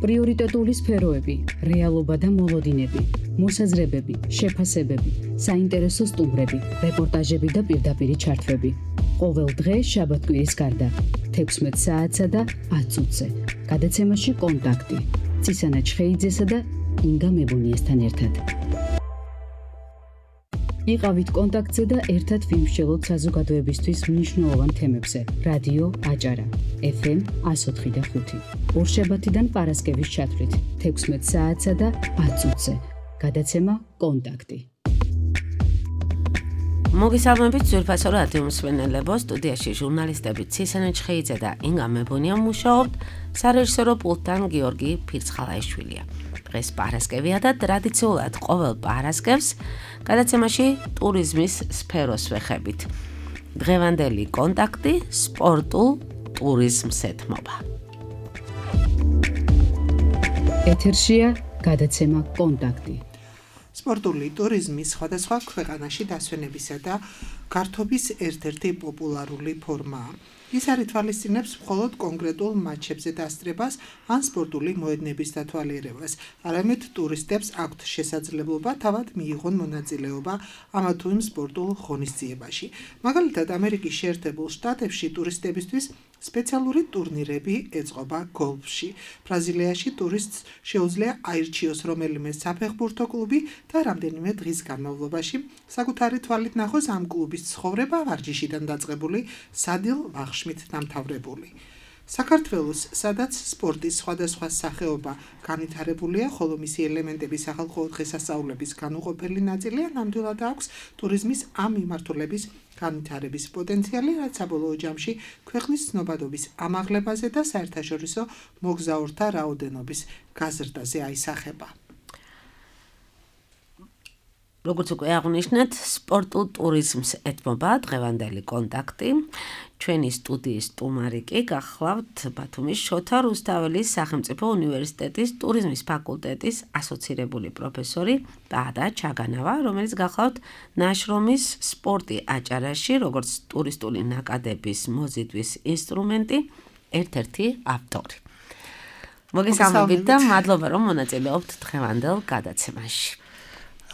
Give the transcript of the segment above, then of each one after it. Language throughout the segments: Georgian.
პრიორიტეტული სფეროები, რეალობა და მოლოდინები, მოსაზრებები, შეფასებები, საინტერესო სტუმრები, რეპორტაჟები და პირდაპირი ჩართვები. ყოველ დღე შაბათ-კვირის გარდა 16 საათსა და 10 წუთზე. გადაცემაში კონტაქტი. ცისანა ჩხეიძესა და ინგა მებუნიესთან ერთად. იყავით კონტაქტზე და ერთად ვიმსჯელოთ საზოგადოებისთვის მნიშვნელოვან თემებზე. რადიო აჭარა, FM 104.5. ორშაბათიდან პარასკევის ჩათვლით 16 საათსა და 10 წუთზე. გადაცემა კონტაქტი. მოგესალმებით ძვირფასო რადიო მსმენელებო, სტუდიაში ჟურნალისტები ცისანა ჩხეიძე და ინგა მებუნია მუშაობთ, სარეჟისორო პულტთან გიორგი ფირცხალაიშვილია. დღეს პარასკევია და ტრადიციულად ყოველ პარასკევს გადაცემაში ტურიზმის სფეროს ვეხებით. დღევანდელი კონტაქტი სპორტულ ტურიზმს ეთმობა. ეთერშია გადაცემა კონტაქტი. სპორტული ტურიზმი სხვადასხვა ქვეყანაში დასვენებისა და გართობის ერთ-ერთი პოპულარული ფორმაა. ის არ ითვალისწინებს მხოლოდ კონკრეტულ მატჩებზე დასწრებას ან სპორტული მოედნების დათვალიერებას, არამედ ტურისტებს აქვთ შესაძლებლობა თავად მიიღონ მონაწილეობა ამა თუ იმ სპორტულ ღონისძიებაში. მაგალითად, ამერიკის შეერთებულ შტატებში ტურისტებისთვის სპეციალური ტურნირები ეწყობა გოლფში. ბრაზილიაში ტურისტს შეუძლია აირჩიოს რომელიმე საფეხბურთო კლუბი და რამდენიმე დღის განმავლობაში საკუთარი თვალით ნახოს ამ კლუბის ცხოვრება ვარჯიშიდან დაწყებული სადილ ვახშმით დამთავრებული. საქართველოს, სადაც სპორტის სხვადასხვა სახეობა განვითარებულია, ხოლო მისი ელემენტები სახალხო დღესასწაულების განუყოფელი ნაწილია, ნამდვილად აქვს ტურიზმის ამ მიმართულების განვითარების პოტენციალი, რაც საბოლოო ჯამში ქვეყნის ცნობადობის ამაღლებაზე და საერთაშორისო მოგზაურთა რაოდენობის გაზრდაზე აისახება. როგორც უკვე აღნიშნეთ, სპორტულ ტურიზმს ეთმობა დღევანდელი კონტაქტი. ჩვენი სტუდიის სტუმარი კი გახლავთ ბათუმის შოთა რუსთაველის სახელმწიფო უნივერსიტეტის ტურიზმის ფაკულტეტის ასოცირებული პროფესორი ბადა ჩაგანავა, რომელიც გახლავთ ნაშრომის სპორტი აჭარაში, როგორც ტურისტული ნაკადების მოზიდვის ინსტრუმენტი, ერთ-ერთი ავტორი. მოგესალმებით და მადლობა, რომ მონაწილეობთ დღევანდელ გადაცემაში.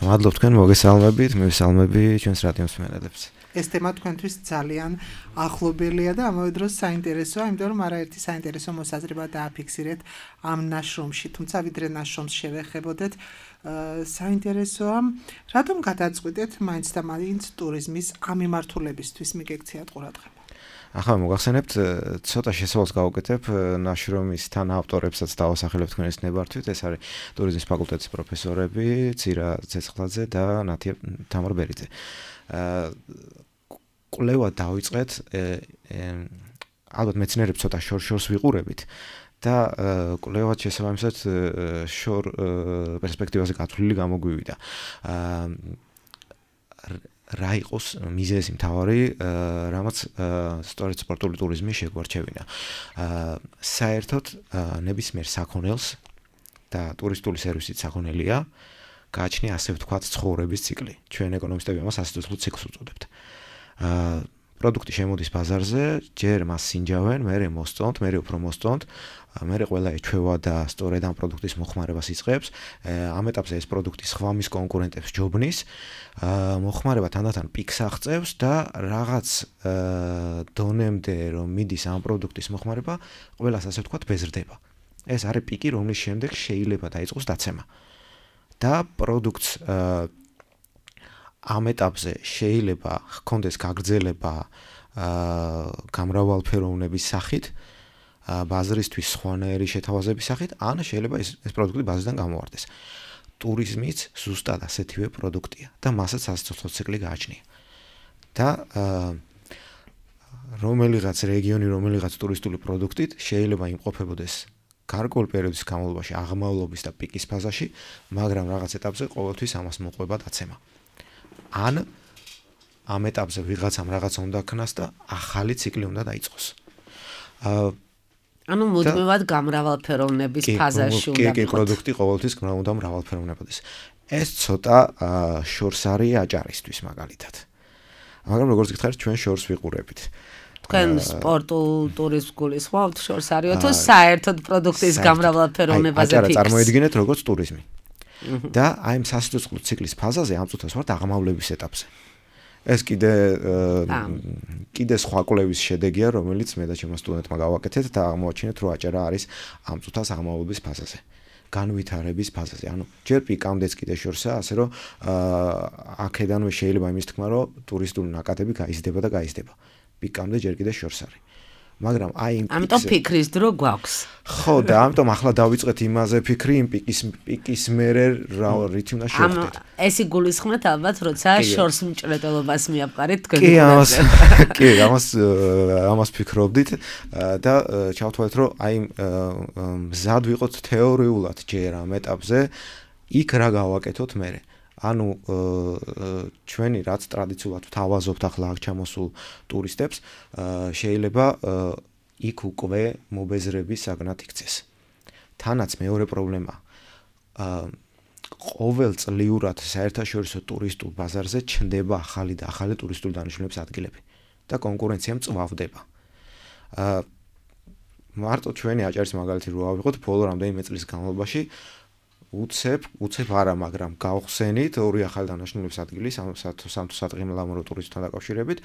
მადლობ თქვენ, მოგესალმებით, მივესალმები ჩვენს რადიო მსმენელებს. ეს თემა თქვენთვის ძალიან ახლობელია და ამავე დროს საინტერესოა, იმიტომ რომ არაერთი საინტერესო მოსაზრება დააფიქსირეთ ამ ნაშრომში, თუმცა ვიდრე ნაშრომს შევეხებოდეთ, საინტერესოა, რატომ გადაწყვიტეთ მაინც და მაინც ტურიზმის ამ მიმართულებისთვის მიგექციათ ყურადღება. ახლა მოგახსენებთ, ცოტა შესავალს გავუკეთებ ნაშრომის თან ავტორებსაც დავასახელებ თქვენს ნებართვით. ეს არის ტურიზმის ფაკულტეტის პროფესორები ცირა ცეცხლაძე და ნათია თამარბერიძე. კვლევა დავიწყეთ, ალბათ მეცნიერებს ცოტა შორს ვიყურებით და კვლევად შესაბამისად შორ პერსპექტივაზე გათვლილი გამოგვივიდა. რა იყოს მიზეზი მთავარი, რამაც სწორედ სპორტული ტურიზმი შეგვარჩევინა. საერთოდ ნებისმიერ საქონელს და ტურისტული სერვისით საქონელია გააჩნია ასე ვთქვათ ცხოვრების ციკლი. ჩვენ ეკონომისტები ამას ასეთულ ციკლს უწოდებთ. პროდუქტი შემოდის ბაზარზე, ჯერ მას სინჯავენ, მერე მოსწონთ, მერე უფრო მოსწონთ, მერე ყველა ეჩვევა და სწორედ ამ პროდუქტის მოხმარებას იწყებს. ამ ეტაპზე ეს პროდუქტი სხვა მის კონკურენტებს ჯობნის, მოხმარება თანდათან პიკს აღწევს და რაღაც დონემდე რომ მიდის ამ პროდუქტის მოხმარება, ყველას ასე ვთქვათ ბეზრდება. ეს არის პიკი, რომლის შემდეგ შეიძლება დაიწყოს დაცემა. და პროდუქტს ამ ეტაპზე შეიძლება ჰქონდეს გაგრძელება გამრავალფეროვნების სახით, ბაზრისთვის სხვანაირი შეთავაზების სახით, ან შეიძლება ეს პროდუქტი ბაზრიდან გამოვარდეს. ტურიზმიც ზუსტად ასეთივე პროდუქტია და მასაც ასეთო ციკლი გააჩნია. და რომელიღაც რეგიონი, რომელიღაც ტურისტული პროდუქტით შეიძლება იმყოფებოდეს გარკვეულ პერიოდის განმავლობაში აღმავლობის და პიკის ფაზაში, მაგრამ რაღაც ეტაპზე ყოველთვის ამას მოყვება დაცემა. ან ამ ეტაპზე ვიღაცამ რაღაცა უნდა ქნას და ახალი ციკლი უნდა დაიწყოს. ანუ მუდმივად გამრავალფეროვნების ფაზაში უნდა კი, პროდუქტი ყოველთვის უნდა მრავალფეროვნებოდეს. ეს ცოტა შორს არის აჭარისთვის მაგალითად. მაგრამ როგორც გითხარით, ჩვენ შორს ვიყურებით. თქვენ სპორტულ ტურიზმს გულისხმობთ, შორს არისო თუ საერთოდ პროდუქტის გამრავალფეროვნებაზე ფიქრს? აი, წარმოიდგინეთ როგორც ტურიზმი. და აი ამ სასიცოცხლო ციკლის ფაზაზე ამ წუთას ვართ აღმავლების ეტაპზე. ეს კიდე სხვა კვლევის შედეგია, რომელიც მე და ჩემო სტუდენტმა გავაკეთეთ და აღმოაჩინეთ, რომ აჭარა არის ამ წუთას აღმავლების ფაზაზე. განვითარების ფაზაზე. ანუ ჯერ პიკამდეც კიდე შორსაა, ასე რომ აქედანვე შეიძლება იმის თქმა, რომ ტურისტული ნაკადები გაიზრდება და გაიზრდება. პიკამდე ჯერ კიდე შორს არის. მაგრამ აი იმ ამიტომ ფიქრის დრო გვაქვს. ხო, და ამიტომ ახლა დავიწყეთ იმაზე ფიქრი, იმ პიკის მერე რითი უნდა შევხვდეთ. ეს იგულისხმეთ ალბათ, როცა შორს მჭრეტელობას მიაპყარეთ თქვენ. კი, ამას ფიქრობდით და ჩავთვალეთ, რომ აი მზად ვიყოთ თეორიულად ჯერ ამ ეტაპზე, იქ რა გავაკეთოთ მერე. ანუ ჩვენი რაც ტრადიციულად ვთავაზობთ ახლა აქ ჩამოსულ ტურისტებს, შეიძლება იქ უკვე მობეზრების საგნად იქცეს. თანაც მეორე პრობლემა ყოველწლიურად საერთაშორისო ტურისტულ ბაზარზე ჩნდება ახალი და ახალი ტურისტული დანიშნულების ადგილები და კონკურენცია მწვავდება. მარტო ჩვენი აჭარის მაგალითი რო ავიღოთ, ბოლო რამდენიმე წლის განმავლობაში უცებ არა, მაგრამ გავხსენით ორი ახალი დანიშნულების ადგილი სამთო-სადღიმლამურო ტურიზმთან დაკავშირებით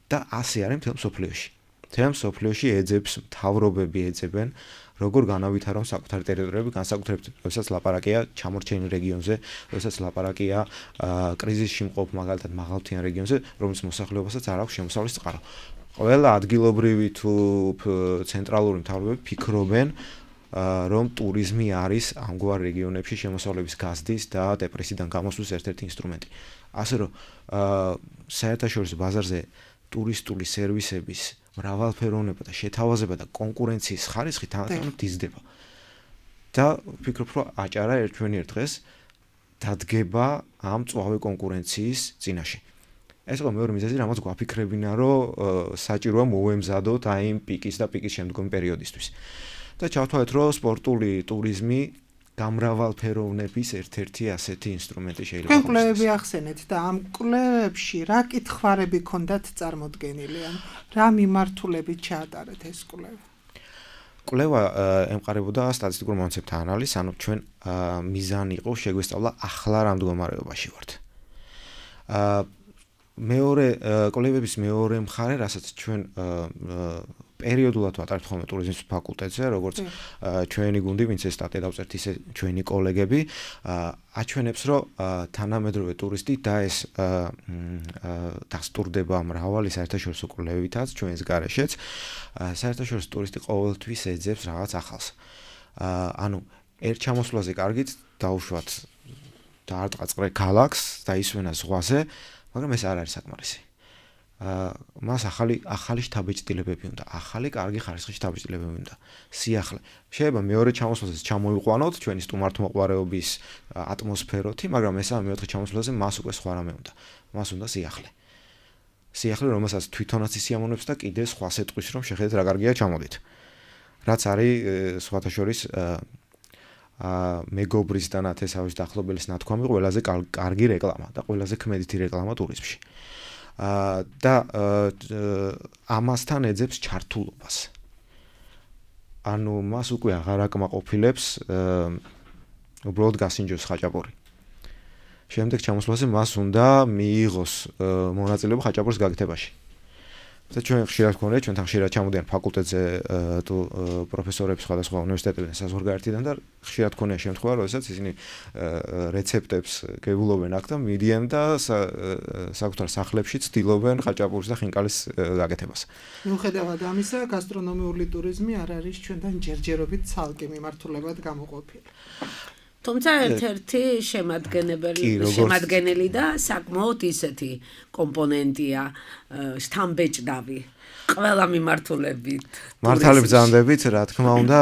და ასე არის მთელ მსოფლიოში. მთელ მსოფლიოში ეძებს მთავრობები ეძებენ როგორ განავითარონ საკუთარი ტერიტორიები, განსაკუთრებით როდესაც ლაპარაკია ჩამორჩენილ რეგიონზე, როდესაც ლაპარაკია კრიზისში მყოფ მაგალითად მაღალმთიან რეგიონზე, რომლის მოსახლეობასაც არ აქვს შემოსავლის წყარო. ყველა ადგილობრივი თუ ცენტრალური მთავრობები ფიქრობენ რომ ტურიზმი არის ამგვარ რეგიონებში შემოსავლების გაზრდის და დეპრესიიდან გამოსვლის ერთ-ერთი ინსტრუმენტი. ასე რომ საერთაშორისო ბაზარზე ტურისტული სერვისების მრავალფეროვნება და შეთავაზება და კონკურენციის ხარისხი თანდათან იზრდება. და ვფიქრობ, რომ აჭარა ერთვენიერ დღეს დადგება ამ წვავე კონკურენციის წინაშე. ეს იყო მეორე მიზეზი, რამაც გვაფიქრებინა, რომ საჭიროა მოვემზადოთ აი იმ პიკის და პიკის შემდგომი პერიოდისთვის. და ჩავთვალეთ, რომ სპორტული ტურიზმი გამრავალფეროვნების ერთ-ერთი ასეთი ინსტრუმენტი შეიძლება იყოს. კვლევები ახსენეთ და ამ კვლევებში რა კითხვარები ქონდათ წარმოდგენილი? რა მიმართულებით ჩაატარეთ ეს კვლევა? კვლევა ემყარებოდა სტატისტიკურ მონაცემთა ანალიზს, ანუ ჩვენ მიზანი იყო შეგვესწავლა ახლა რა მდგომარეობაში ვართ. მეორე კვლევების მეორე მხარე, რასაც ჩვენ პერიოდულად ვატარებთ ხოლმე ტურიზმის ფაკულტეტზე, როგორც ჩვენი გუნდი, ვინც ეს სტატია დავწერთ, ისე ჩვენი კოლეგები, აჩვენებს, რომ თანამედროვე ტურისტი და ეს დასტურდება მრავალი საერთაშორისო კვლევითაც ჩვენს გარეშეც, საერთაშორისო ტურისტი ყოველთვის ეძებს რაღაც ახალს. ანუ ერთ ჩამოსვლაზე კარგით დაუშვათ დაარტყაწყრე ქალაქს და ისვენა ზღვაზე, მაგრამ ეს არ არის საკმარისი. მას ახალი შთაბეჭდილებები უნდა, ახალი კარგი ხარისხის შთაბეჭდილებები უნდა. სიახლე. შეიძლება მეორე ჩამოსვლაზეც ჩამოიყვანოთ ჩვენი სტუმართმოყვარეობის ატმოსფეროთი, მაგრამ მესამე მეოთხე ჩამოსვლაზე მას უკვე სხვა რამე უნდა. მას უნდა სიახლე. სიახლე, რომელსაც თვითონაც ისიამოვნებს და კიდე სხვა სეტყვის, რომ შეხედეთ რა კარგია ჩამოდით. რაც არის სხვათა შორის მეგობრის და ნათესავის დაახლოების ნათქვამი ყველაზე კარგი რეკლამა და ყველაზე ქმედითი რეკლამა ტურიზმში. და ამასთან ეძებს ჩართულობას. ანუ მას უკვე აღარ აკმაყოფილებს უბრალოდ გასინჯოს ხაჭაპური. შემდეგ ჩამოსვლაზე მას უნდა მიიღოს მონაწილეობა ხაჭაპურის გაკეთებაში. და ჩვენ ხშირად გვქონია, ჩვენთან ხშირად ჩამოდიან ფაკულტეტზე თუ პროფესორები სხვადასხვა უნივერსიტეტებიდან, საზღვარგარეთიდან და ხშირად გვქონია შემთხვევა, როდესაც ისინი რეცეპტებს გეულობენ აქ და მიდიან და საკუთარ სახლებში ცდილობენ ხაჭაპურის და ხინკალის გაკეთებას. მიუხედავად ამისა, გასტრონომიული ტურიზმი არ არის ჩვენთან ჯერჯერობით ცალკე მიმართულებად გამოყოფილი. თუმცა ერთ-ერთი შემადგენელი და საკმაოდ ისეთი კომპონენტია შთამბეჭდავი ყველა მიმართულებით. მართალი ბრძანდებით, რა თქმა უნდა,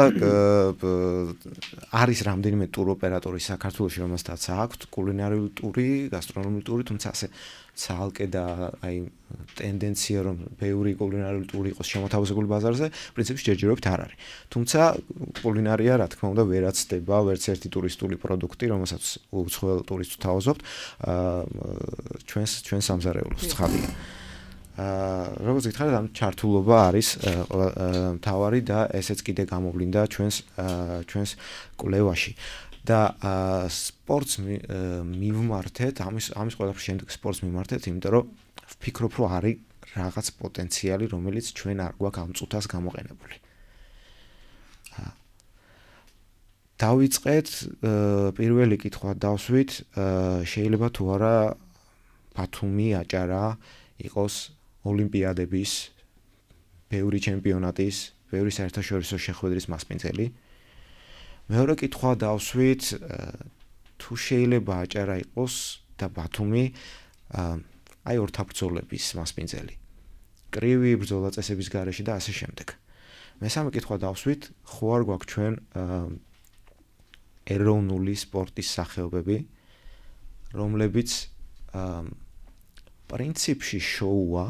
არის რამდენიმე ტუროპერატორი საქართველოში, რომელსაც აქვთ კულინარიული ტური, გასტრონომიული ტური, თუმცა ასე ცალკე და აი ტენდენცია რომ ბევრი კულინარიული ტური იყოს შემოთავაზებული ბაზარზე, პრინციპში ჯერჯერობით არ არის. თუმცა კულინარია, რა თქმა უნდა, ვერაცდება ვერც ერთი ტურისტული პროდუქტი, რომელსაც უცხოელ ტურისტს თავაზობთ, ჩვენს სამზარეულოს ცხადია. როგორც გითხარით, ამ ჩართულობა არის მთავარი და ესეც კიდე გამოვლინდა ჩვენს კვლევაში. და სპორტს მივმართეთ, ამის ყველაფრის შემდეგ სპორტს მივმართეთ, იმიტომ რომ ვფიქრობ, რომ არის რაღაც პოტენციალი, რომელიც ჩვენ არ გვაქვს ამ წუთას გამოყენებული. დავიწყეთ პირველი კითხვა დავსვით, შეიძლება თუ არა ბათუმი აჭარა იყოს ოლიმპიადების, ბევრი ჩემპიონატის, ბევრი საერთაშორისო შეხვედრის მასპინძელი. მეორე კითხვა დავსვით, თუ შეიძლება აჭარა იყოს და ბათუმი აი ორთაბრძოლების მასპინძელი. კრივი ბრძოლა წესების გარეშე და ასე შემდეგ. მესამე კითხვა დავსვით, ხო არ გვაქვს ჩვენ ეროვნული სპორტის სახეობები, რომლებიც პრინციპში შოუა,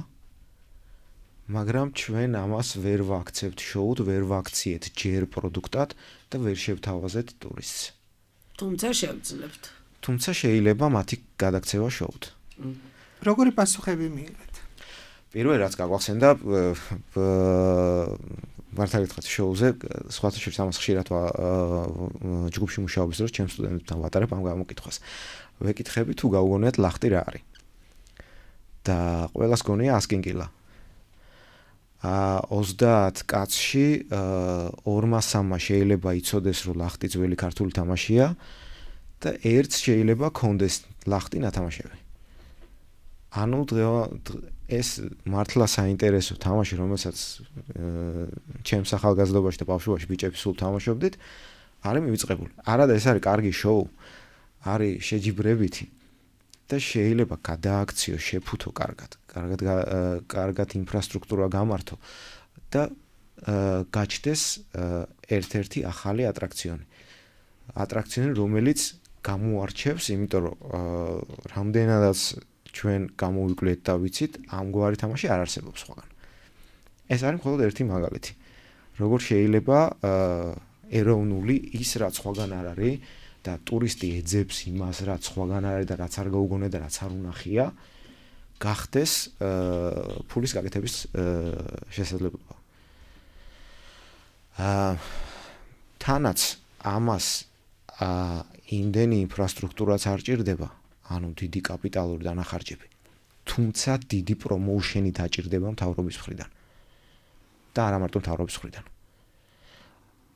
მაგრამ ჩვენ ამას ვერ ვაქცევთ შოუდ, ვერ ვაქციეთ ჯერ პროდუქტად და ვერ შევთავაზეთ ტურისტს. თუმცა შევძლებთ. თუმცა შეიძლება მათი გადაქცევა შოუდ. როგორი პასუხები მიიღეთ? პირველი რაც გაგვახსენდა მართალი გითხრათ შოუზე, სხვათა შორის ამას ხშირად ჯგუფში მუშაობის დროს ჩემს სტუდენტებთან ვატარებ ამ გამოკითხვას. ვეკითხები თუ გაუგონიათ ლახტი რა არის. და ყველას გონია 100 კილა. 30 კაცში 2-3 შეიძლება იცოდეს, რომ ლახტი ძველი ქართული თამაშია და ერთს შეიძლება კონდეს ლახტი ნათამაშები. ანუ ეს მართლა საინტერესო თამაში, რომელსაც ჩემს ახალგაზრდობაში და ბავშვობაში ბიჭები სულ თამაშობდით, არის მივიწყებული. არადა ეს არის კარგი შოუ, არის შეჯიბრებითი და შეიძლება გადააქციო, შეფუთო კარგად ინფრასტრუქტურა გამართო და გაჩნდეს ერთ-ერთი ახალი ატრაქციონი. ატრაქციონი, რომელიც გამოარჩევს, იმიტომ რომ რამდენადაც ჩვენ გამოვიკვლიეთ და ვიცით, ამგვარი თამაში არ არსებობს სხვაგან. ეს არის მხოლოდ ერთი მაგალითი. როგორ შეიძლება ეროვნული ის რაც სხვაგან არ არის და ტურისტი ეძებს იმას, რაც სხვაგან არის და რაც არ გაუგონია და რაც არ უნახია, გახდეს ფულის გაკეთების შესაძლებლობა. თანაც ამას იმდენი ინფრასტრუქტურაც არ ჭირდება, ანუ დიდი კაპიტალური დანახარჯები, თუმცა დიდი პრომოუშენი დაჭირდება მთავრობის მხრიდან. და არა მარტო მთავრობის მხრიდან.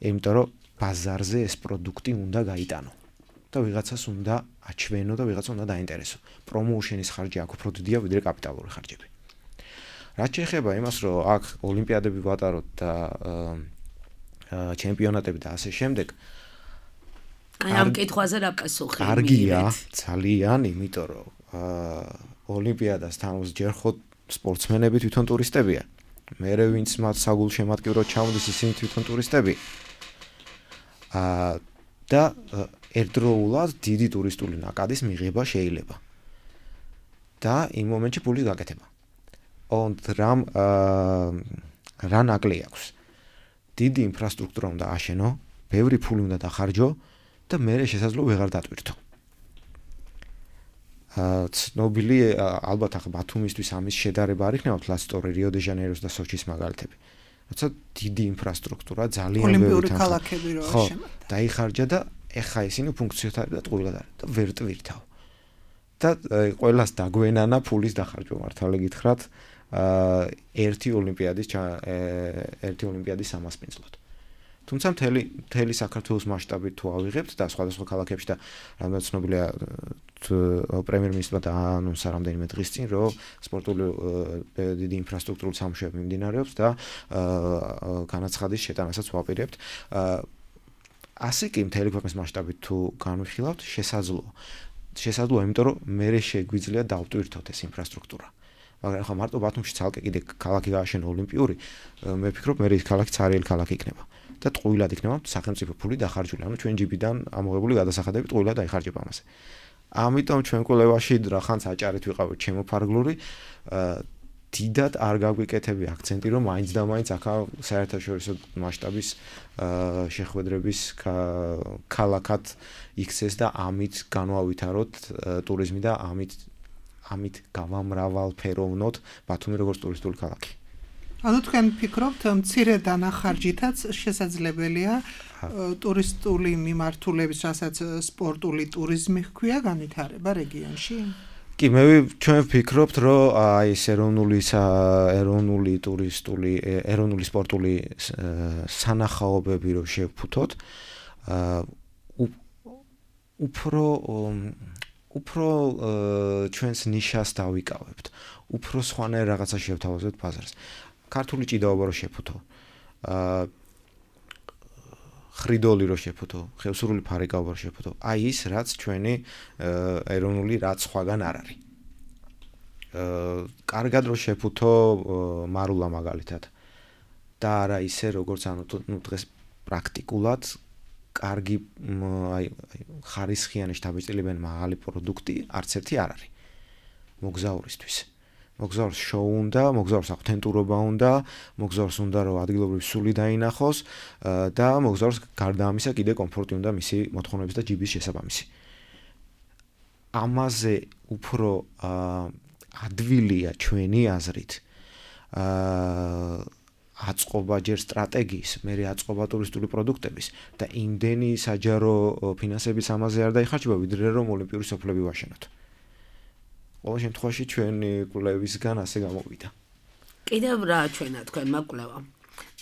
იმიტომ რომ ბაზარზე ეს პროდუქტი უნდა გაიტანო და ვიღაცას უნდა აჩვენო და ვიღაცა უნდა დაინტერესო. პრომოუშენის ხარჯი აქ უფრო დიდია ვიდრე კაპიტალური ხარჯები. რაც შეეხება იმას, რომ აქ ოლიმპიადები ვატაროთ და ჩემპიონატები და ასე შემდეგ, აი ამ კითხვაზე რა პასუხი? კარგია, ძალიან, იმიტომ რომ ოლიმპიადას თამობს ჯერ ხო სპორტსმენები თვითონ ტურისტებია. მერე ვინც მათ საგულშემატკივროდ ჩამოდის, ისინი თვითონ ტურისტები. და ერთდროულად დიდი ტურისტული ნაკადის მიღება შეიძლება. და იმ მომენტში ფულის გაკეთება. რა ნაკლი აქვს? დიდი ინფრასტრუქტურა უნდა აშენო, ბევრი ფული უნდა დახარჯო და მერე შესაძლოა ვეღარ დატვირთო. ცნობილი ალბათ ახლა ბათუმისთვის ამის შედარება არ იქნება, თლასტორი, რიო-დე-ჟანეიროს და სოჩის მაგალითები. როცა დიდი ინფრასტრუქტურა ძალიან ოლიმპიური ქალაქები რო აშენდა. დაიხარჯა და ეხა ისინი ფუნქციოთ არის და ტყუილად არის და ვერ ტვირთავ. და ყველას დაგვენანა ფულის დახარჯვა, მართალი გითხრათ, ერთი ოლიმპიადის სამასპინძლოდ. თუმცა მთელი საქართველოს მასშტაბით თუ ავიღებთ და სხვადასხვა ქალაქებში და რამდენად ცნობილია პრემიერ-მინისტრმა დაანონსა რამდენიმე დღის წინ, რომ სპორტული დიდი ინფრასტრუქტურული სამუშაოები მიმდინარეობს და განაცხადის შეტანასაც ვაპირებთ. ასე კი მთელი ქვეყნის მასშტაბით თუ განვიხილავთ, შესაძლოა, იმიტომ რომ მერე შეგვიძლია დავტვირთოთ ეს ინფრასტრუქტურა. მაგრამ ახლა მარტო ბათუმში ცალკე კიდე ქალაქი გააშენო ოლიმპიური, მე ვფიქრობ, მერე ის ქალაქი ცარიელი ქალაქი იქნება. და ტყუილად იქნება სახელმწიფო ფული დახარჯული, ანუ ჩვენ ჯიბიდან ამოღებული გადასახადები ტყუილად დაიხარჯება ამაზე. ამიტომ ჩვენ კვლევაში რახანს აჭარით ვიყავით შემოფარგლური, დიდად არ გაგვიკეთები აქცენტი, რომ მაინც და მაინც აქა საერთაშორისო მასშტაბის შეხვედრების ქალაქად იქცეს და ამით განვავითაროთ ტურიზმი და ამით გამამრავალფეროვნოთ ბათუმი როგორც ტურისტული ქალაქი. ანუ თქვენ ფიქრობთ მცირე დანახარჯითაც შესაძლებელია ტურისტული მიმართულების, რასაც სპორტული ტურიზმი ჰქვია, განვითარება რეგიონში? კი, ჩვენ ვფიქრობთ, რომ აი ეს ეროვნული ტურისტული, ეროვნული სპორტული სანახაობები რო შევფუთოთ, უფრო ჩვენს ნიშას დავიკავებთ, უფრო სხვანაირ რაღაცა შევთავაზებთ ბაზარს. ქართული ჭიდაობა რო შევფუთო, ხრიდოლი რო შევფუთო, ხევსურული ფარიკაობა რო შევფუთო, აი ის რაც ჩვენი ეროვნული რაც სხვაგან არ არის. კარგად რო შევფუთო მარულა მაგალითად და არა ისე როგორც დღეს პრაქტიკულად კარგი აი ხარისხიანი შთაბეჭდილებიანი მაღალი პროდუქტი არც ერთი არ არის მოგზაურისთვის. მოგზაურს შოუ უნდა, მოგზაურს აუთენტურობა უნდა, მოგზაურს უნდა რომ ადგილობრივი სული დაინახოს და მოგზაურს გარდა ამისა კიდე კომფორტი უნდა მისი მოთხოვნების და ჯიბის შესაბამისი. ამაზე უფრო ადვილია ჩვენი აზრით აწყობა ჯერ სტრატეგიის, მერე აწყობა ტურისტული პროდუქტების და იმდენი საჯარო ფინანსების ამაზე არ დაიხარჯება, ვიდრე რომ ოლიმპიური სოფლები ვაშენოთ. ყოველ შემთხვევაში ჩვენი კვლევისგან ასე გამოვიდა. კიდევ რა ჩვენა თქვენმა კვლევა?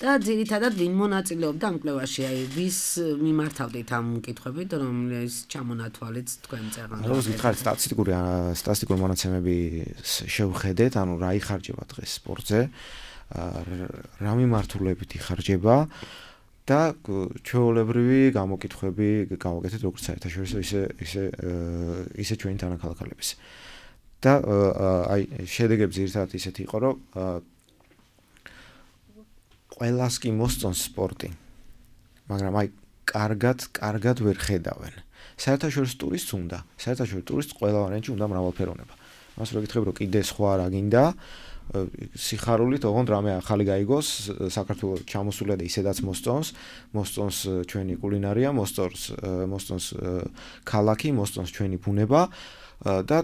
და ძირითადად ვინ მონაწილეობდა ამ კვლევაში? აი ვის მიმართავდით ამ კითხვებით, რომლის ჩამონათვალიც თქვენ წერან? როგორც გითხარით, სტატისტიკური მონაცემები შევხედეთ, ანუ რა იხარჯება დღეს სპორტზე, რა მიმართულებით იხარჯება და ჩვეულებრივი გამოკითხვები გავაკეთეთ როგორც საერთაშორისო ისე ჩვენი თანაქალაქალების. და აი შედეგები ძირითადად ისეთი იყო, რომ ყველას კი მოსწონს სპორტი, მაგრამ აი კარგად ვერ ხედავენ. საერთაშორისო ტურისტს უნდა, საერთაშორისო ტურისტს ყველა ვარიანტში უნდა მრავალფეროვნება. მას რო გითხრები, რომ კიდე სხვა რა გინდა, სიხარულით ოღონდ რამე ახალი გაიგოს, საქართველოს ჩამოსულა და ისედაც მოსწონს ჩვენი კულინარია, მოსწონს ქალაქი, მოსწონს ჩვენი ბუნება და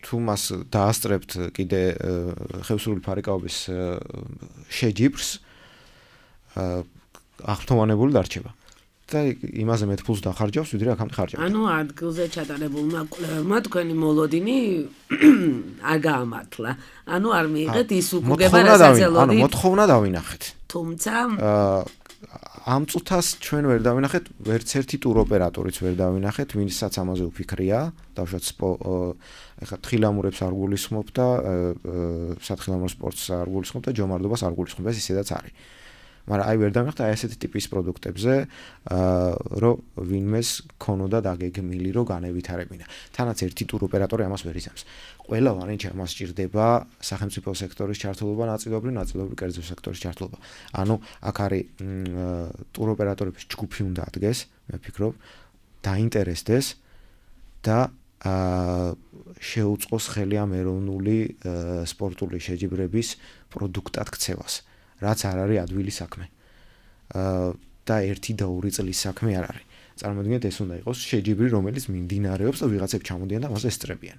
თუ მას დაასწრებთ კიდე ხევსურული ფარიკაობის შეჯიბრს, აღფრთოვანებული დარჩება. და იმაზე მეტ ფულს დახარჯავს, ვიდრე აქამდე ხარჯავდა. ანუ ადგილზე ჩატარებულმა კვლევებმა თქვენი მოლოდინი არ გაამართლა. ანუ არ მიიღეთ ის უკუგება, რასაც ელოდით. ანუ მოთხოვნა დავინახეთ. თუმცა ამ წუთას ჩვენ ვერ დავინახეთ, ვერც ერთი ტუროპერატორიც ვერ დავინახეთ, ვინცაც ამაზე უფიქრია, დავშოთ ეხლა თხილამურებს არ გულისხმობ და სათხილამურო სპორტს არ გულისხმობ და ჯომარდობას არ გულისხმობ, ეს ისედაც არის. მაგრამ აი ვერ დავინახეთ აი ესეთი ტიპის პროდუქტებზე, რომ ვინმეს ქონოდა დაგეგმილი, რომ განევითარებინა. თანაც ერთი ტუროპერატორი ამას ვერ იზამს. ყველა ვარიანტში ამას სჭირდება სახელმწიფო სექტორის ჩართულობა, ნაწილობრივ კერძო სექტორის ჩართულობა. ანუ აქ არის ტუროპერატორების ჯგუფი უნდა ადგეს, მე ვფიქრობ, დაინტერესდეს და შეუწყოს ხელი ამ ეროვნული სპორტული შეჯიბრების პროდუქტად ქცევას. რაც არ არის ადვილი საქმე. და 1 და 2 წლის საქმე არ არის. წარმოიდგინეთ, ეს უნდა იყოს შეჯიბრი, რომელიც მიმდინარეობს და ვიღაცები ჩამოდიან და მას ესწრებიან.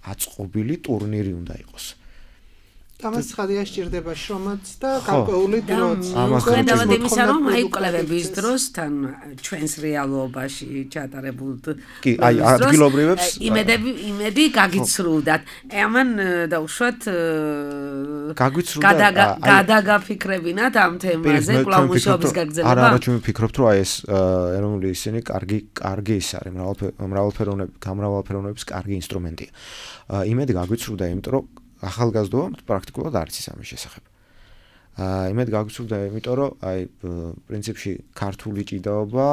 აწყობილი ტურნირი უნდა იყოს. ამას ცხადია სჭირდება შრომაც და გარკვეული დროც. ხედავთ იმისა, რომ აი კვლევების დროს თან ჩვენს რეალობაში ჩატარებულ კი, აი ადგილობრივებს იმედი გაგიცრუვდათ. ამან დაუშვათ გადაგაფიქრებინათ ამ თემაზე, კვლავ მუშაობის გაგრძელება. არა, ჩვენ ვფიქრობთ, რომ აი ეს ეროვნული ისინი კარგი ის არის, გამრავალფეროვნების კარგი ინსტრუმენტია. იმედი გაგვიცრუვდა, იმიტომ რომ ახალგაზრდობა პრაქტიკულად არ იცის ამის შესახებ. იმედ გაგვიცრუვდა, იმიტომ რომ აი პრინციპში ქართული ჭიდაობა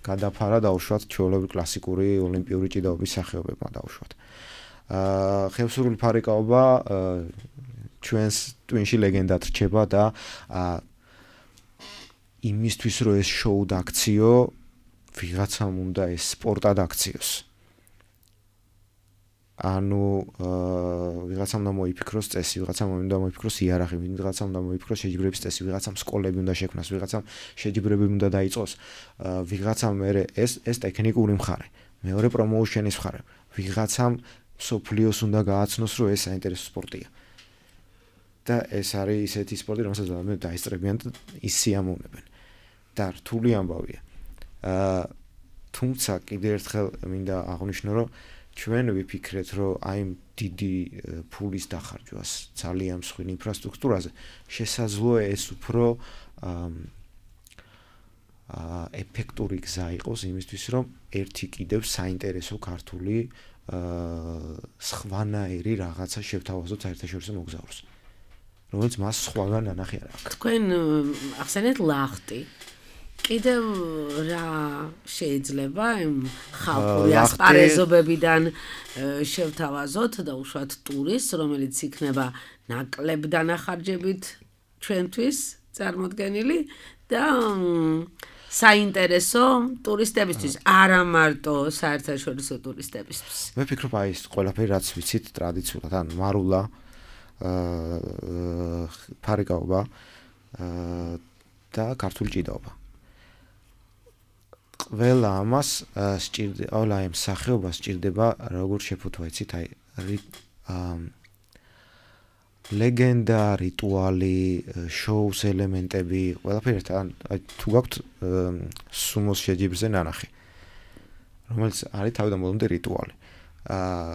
გადაფარა დაუშვათ ჩვეულებრივი კლასიკური ოლიმპიური ჭიდაობის სახეობებმა დაუშვათ. ხევსურული ფარიკაობა ჩვენს ტვინში ლეგენდად რჩება და იმისთვის რომ ეს შოუ დაქციო, ვიღაცამ უნდა ეს სპორტად აქციოს. ანუ ვიღაცამ უნდა მოიფიქროს წესი, ვიღაცამ უნდა მოიფიქროს იარაღი, ვიღაცამ უნდა მოიფიქროს შეჯიბრების წესი, ვიღაცამ სკოლები უნდა შექმნას, ვიღაცამ შეჯიბრები უნდა დაიწყოს, ვიღაცამ ეს ტექნიკური მხარე, მეორე პრომოუშენის მხარე, ვიღაცამ სოფლიოს უნდა გააცნოს, რომ ეს საინტერესო სპორტია. და ეს არის ისეთი სპორტი, რომელსაც მე დაესწრებიან და ის სიამოვნებენ. და რთული ამბავია. თუმცა კიდევ ერთხელ მინდა აღვნიშნო, რომ ჩვენ ვიფიქრეთ, რომ აი დიდი ფულის დახარჯვას ძალიან მსხვილი ინფრასტრუქტურაზე შესაძლოა ეს უფრო ეფექტური გზა იყოს იმისთვის, რომ ერთი კიდევ საინტერესო ქართული სხვანაირი რაღაცა შევთავაზოთ საერთაშორისო მოგზაურს, რომელიც მას სხვაგან ანახი არ აქვს. თქვენ ახსენეთ ლახტი. კიდევ რა შეიძლება იმ ხალხური ასპარეზობებიდან შევთავაზოთ და უშუალოდ ტურისტს, რომელიც იქნება ნაკლებ დანახარჯებით ჩვენთვის წარმოდგენილი და საინტერესო ტურისტებისთვის, არა მარტო საერთაშორისო ტურისტებისთვის. მე ვფიქრობ, აი ეს ყველაფერი რაც ვიცით ტრადიციულად, ან მარულა, ფარიკაობა და ქართული ჭიდაობა. ყველა ამას სჭირდება, ყველა ამ სახეობას სჭირდება როგორ შეფუთვა, იცით, აი ლეგენდა, რიტუალი, შოუს ელემენტები, ყველაფერი ერთად, აი თუ გაქვთ სუმოს შეჯიბრზე ნანახი, რომელიც არის თავიდან ბოლომდე რიტუალი,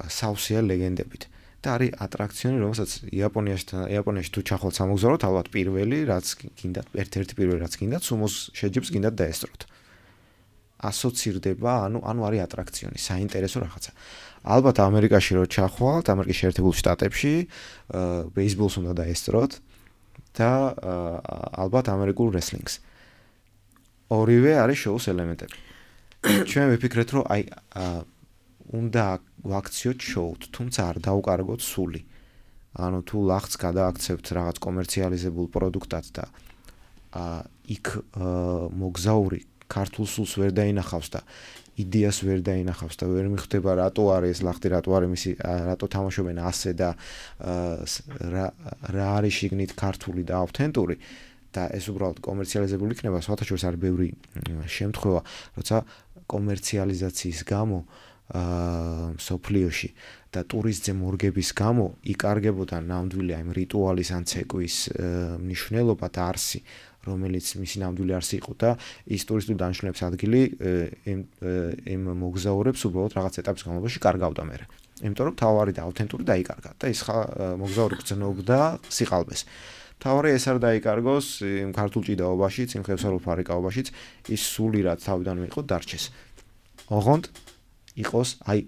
სავსეა ლეგენდებით და არის ატრაქციონი, რომელსაც იაპონიაში თუ ჩახვალთ სამოგზაუროდ, ალბათ პირველი, რაც გინდათ, ერთ-ერთი პირველი რაც გინდათ, სუმოს შეჯიბრს გინდათ დაესწროთ. ასოცირდება, ანუ არის ატრაქციონი, საინტერესო რაღაცა. ალბათ ამერიკაში რო ჩახვალთ, ამერიკის შეერთებულ შტატებში, ბეისბოლს უნდა დაესწროთ და ალბათ ამერიკულ რესლინგს. ორივე არის შოუს ელემენტები. ჩვენ ვიფიქრეთ, რომ აი უნდა ვაქციოთ შოუთ, თუმცა არ დაუკარგოთ სული. ანუ თუ ლახტს გადააქცევთ რაღაც კომერციალიზებულ პროდუქტად და იქ მოგზაური ქართულ სულს ვერ დაინახავს და იდეას ვერ დაინახავს და ვერ მიხვდება რატო არის ეს ლახტი, რატო არის მისი, რატო თამაშობენ ასე და რა არის შიგნით ქართული და ავთენტური და ეს უბრალოდ კომერციალიზებული იქნება, სხვათა შორის არის ბევრი შემთხვევა, როცა კომერციალიზაციის გამო სოფლიოში და ტურისტზე მორგების გამო იკარგებოდა ნამდვილი აი რიტუალის ან ცეკვის მნიშვნელობა და არსი, რომელიც მისი ნამდვილი არსი იყო და ის ტურისტული დანიშნულების ადგილი იმ მოგზაურებს უბრალოდ რაღაც ეტაპის განმავლობაში კარგავდა მერე. იმიტომ რომ თავარი და ავთენტური დაიკარგა და ის მოგზაური გრძნობდა სიყალბეს. თავარი ეს არ დაიკარგოს იმ ქართულ ჭიდაობაშიც, იმ ხევსურულ ფარიკაობაშიც, ის სული რაც თავიდან მიიღო დარჩეს. ოღონდ იყოს აი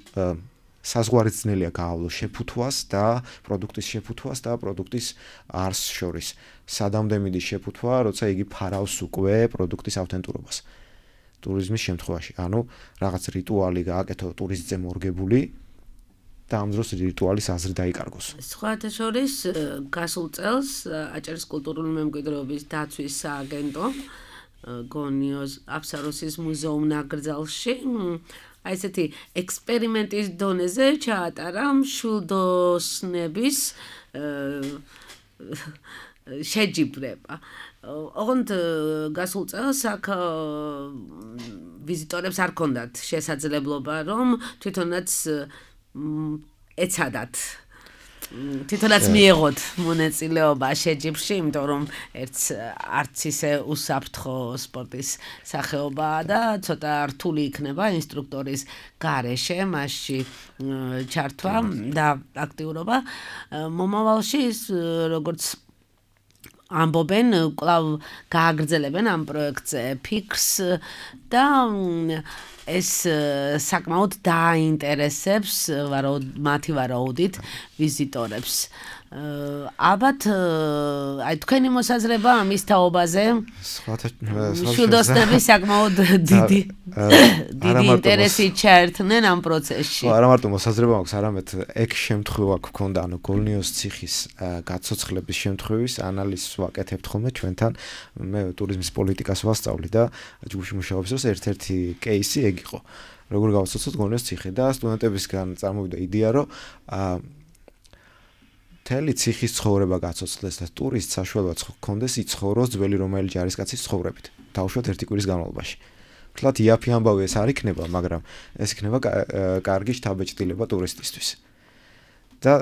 საზღვარი ძნელია გაავლოს შეფუთვას და პროდუქტის შეფუთვას და პროდუქტის არსს შორის. სადამდე მიდის შეფუთვა, როცა იგი ფარავს უკვე პროდუქტის ავთენტურობას. ტურიზმის შემთხვევაში, ანუ რაღაც რიტუალი გააკეთო ტურისტზე მორგებული და ამ დროს რიტუალის აზრი დაიკარგოს. სხვათა შორის გასულ წელს აჭარის კულტურული მემკვიდრეობის დაცვის სააგენტო გონიოს აფსაროსის მუზეუმ ნაკრძალში აი ესეთი ექსპერიმენტის დონეზე ჩაატარა მშვილდოსნების შეჯიბრება. ოღონდ გასულ წელს აქ ვიზიტორებს არ ჰქონდათ შესაძლებლობა, რომ თვითონაც ეცადათ თვითონაც მიიღოთ მონაწილეობა შეჯიბრში, იმიტომ რომ არც ისე უსაფრთხო სპორტის სახეობაა და ცოტა რთული იქნება ინსტრუქტორის გარეშე მასში ჩართვა და აქტიურობა. მომავალში როგორც ამბობენ, კვლავ გააგრძელებენ ამ პროექტზე ფიქრს და ეს საკმაოდ დაინტერესებს მათი ვარაუდით ვიზიტორებს. ალბათ აი თქვენი მოსაზრება ამის თაობაზე მშვილდოსნები საკმაოდ დიდი ინტერესი ჩაერთნენ ამ პროცესში. არა მარტო მოსაზრება მაქვს, არამედ ეგ შემთხვევა გქონდა, ანუ გოლნიოს ციხის გაცოცხლების შემთხვევის ანალიზს ვაკეთებთ ხოლმე ჩვენთან. მე ტურიზმის პოლიტიკას ვასწავლი და ჯგუფში მუშაობს, რომ ერთ-ერთი кейსი ეგ იყო. როგორ გავაცოცოთ გოლნიოს ციხე და სტუდენტებისგან წარმოვიდა იდეა, რომ მთელი ციხის ცხოვრება გაცოცხლდეს და ტურისტს საშუალება ჰქონდეს იცხოვროს ძველი რომაელი ჯარისკაცის ცხოვრებით, დაუშვათ ერთი კვირის განმავლობაში. თლათ იაფი ამბავი ეს არ იქნება, მაგრამ ეს იქნება კარგი შთაბეჭდილება ტურისტისთვის. და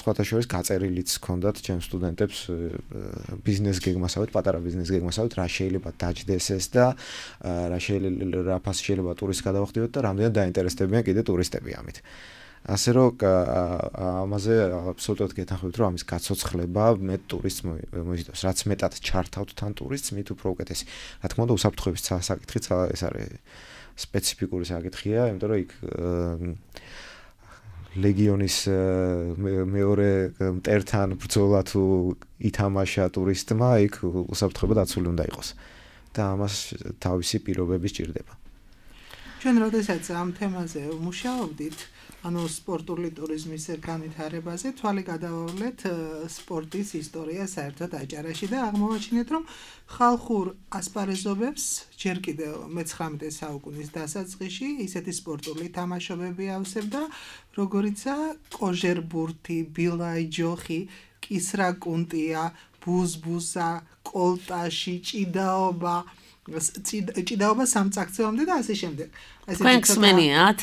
სხვათა შორის გაწერილიც ჰქონდათ ჩემს სტუდენტებს ბიზნეს გეგმასავით, პატარა ბიზნეს გეგმასავით, რა შეიძლება დაჯდეს ეს და რა ფასი შეიძლება ტურისტს გადავახდიოთ და რამდენად დაინტერესდებიან კიდე ტურისტები ამით. ასე რომ ამაზე აბსოლუტურად გეთანხმებით, რომ ამის გაცოცხლება მეტ ტურისტს მოიზიდავს. რაც მეტად ჩართავთ თან ტურისტს, მით უფრო უკეთესი. რა თქმა უნდა, უსაფრთხოების საკითხიც ეს არის სპეციფიკური საკითხია, იმიტომ რომ იქ ლეგიონის მეორე მტერთან ბრძოლა თუ ითამაშა ტურისტმა, იქ უსაფრთხოება დაცული უნდა იყოს. და ამას თავისი პირობები სჭირდება. ჩვენ როდესაც ამ თემაზე ვმუშაობდით, ანუ სპორტული ტურიზმის განვითარებაზე, თვალი გადავავლეთ სპორტის ისტორია საერთოდ აჭარაში და აღმოვაჩინეთ, რომ ხალხურ ასპარეზობებს ჯერ კიდევ მე-19 საუკუნის დასაწყისში ისეთი სპორტული თამაშობები ავსებდა, როგორიცაა კოჟერბურთი, ბილაი ჯოხი, კისრაკუნტია, ბუზბუსა, კოლტაში, ჭიდაობა სამწაქცევამდე და ასე შემდეგ. ქვენქსმენიათ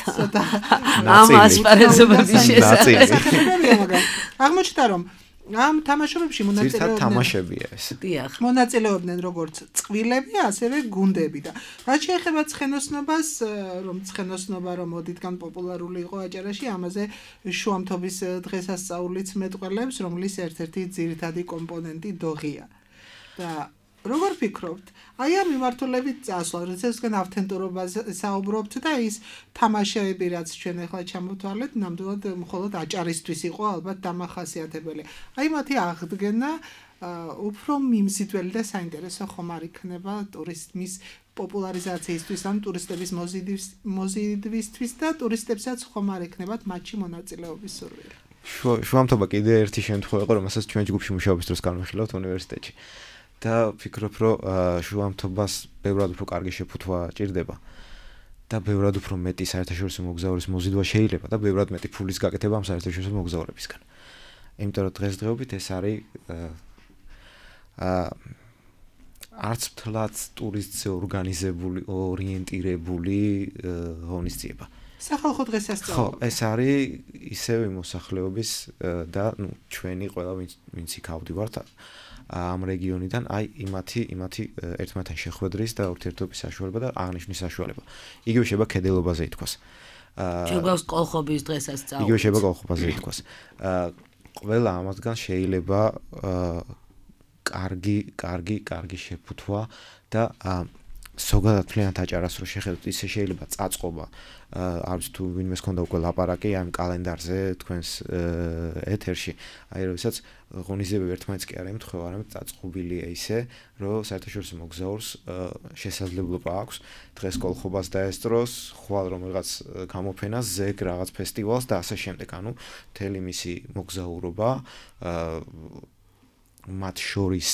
ამ ასპარეზობების შესახებ. აღმოჩნდა, რომ ამ თამაშობებში მონაწილეობდნენ როგორც წყვილები, ასევე გუნდები და რაც შეეხება ცხენოსნობას, რომ ცხენოსნობა რომ ოდითგან პოპულარული იყო აჭარაში, ამაზე შუამთობის დღესასწაულიც მეტყველებს, რომლის ერთ-ერთი ძირითადი კომპონენტი დოღია. და როგორ ფიქრობთ? აი ამ მიმართულებით წასვლა, როდესაც თქვენ ავთენტურობაზე საუბრობთ და ის თამაშები, რაც ჩვენ ახლა ჩამოვთვალეთ, ნამდვილად მხოლოდ აჭარისთვის იყო ალბათ დამახასიათებელი. აი მათი აღდგენა უფრო მიმზიდველი და საინტერესო ხომ არ იქნება ტურიზმის პოპულარიზაციისთვის, ან ტურისტების მოზიდვისთვის და ტურისტებსაც ხომ არ იქნებათ მათში მონაწილეობის სურვილი. შუამთობა კიდე ერთი შემთხვევა იყო, რომელსაც ჩვენ ჯგუფში მუშაობის დროს განვიხილავთ უნივერსიტეტში. და ვფიქრობ, რომ შუამთობას ბევრად უფრო კარგი შეფუთვა ჭირდება და ბევრად უფრო მეტი საერთაშორისო მოგზაურის მოზიდვა შეიძლება და ბევრად მეტი ფულის გაკეთება ამ საერთაშორისო მოგზაურებისგან. იმიტომ რომ დღესდღეობით ეს არის არც მთლად ტურისტზე ორგანიზებული, ორიენტირებული ღონისძიება. სახალხო დღესასწაული. ხო, ეს არის ისევ მოსახლეობის და ჩვენი ყველა ვინც იქ ავდივართ ამ რეგიონიდან, აი იმათი ერთმანეთთან შეხვედრის და ურთიერთობის საშუალება და აღნიშვნის საშუალება. იგივე შეიძლება კედელობაზე ითქვას. შეიძლება კოლხობის დღესასწაული. იგივე შეიძლება კოლხობაზე ითქვას. ყველა ამათგან შეიძლება კარგი შეფუთვა და ზოგადად მთლიანად აჭარას რო შეხედოთ, ისე შეიძლება წაწყობა, არც თუ ვინმეს ქონდა უკვე ლაპარაკი ამ კალენდარზე თქვენს ეთერში, აი როდესაც ღონისძიებები ერთმანეთს კი არ ემთხვევა, არამედ წაწყობილია ისე, რომ საერთაშორისო მოგზაურს შესაძლებლობა აქვს დღეს კოლხობას დაესწროს, ხვალ რომ რაღაც გამოფენას, ზეგ რაღაც ფესტივალს და ასე შემდეგ, ანუ მთელი მისი მოგზაურობა მათ შორის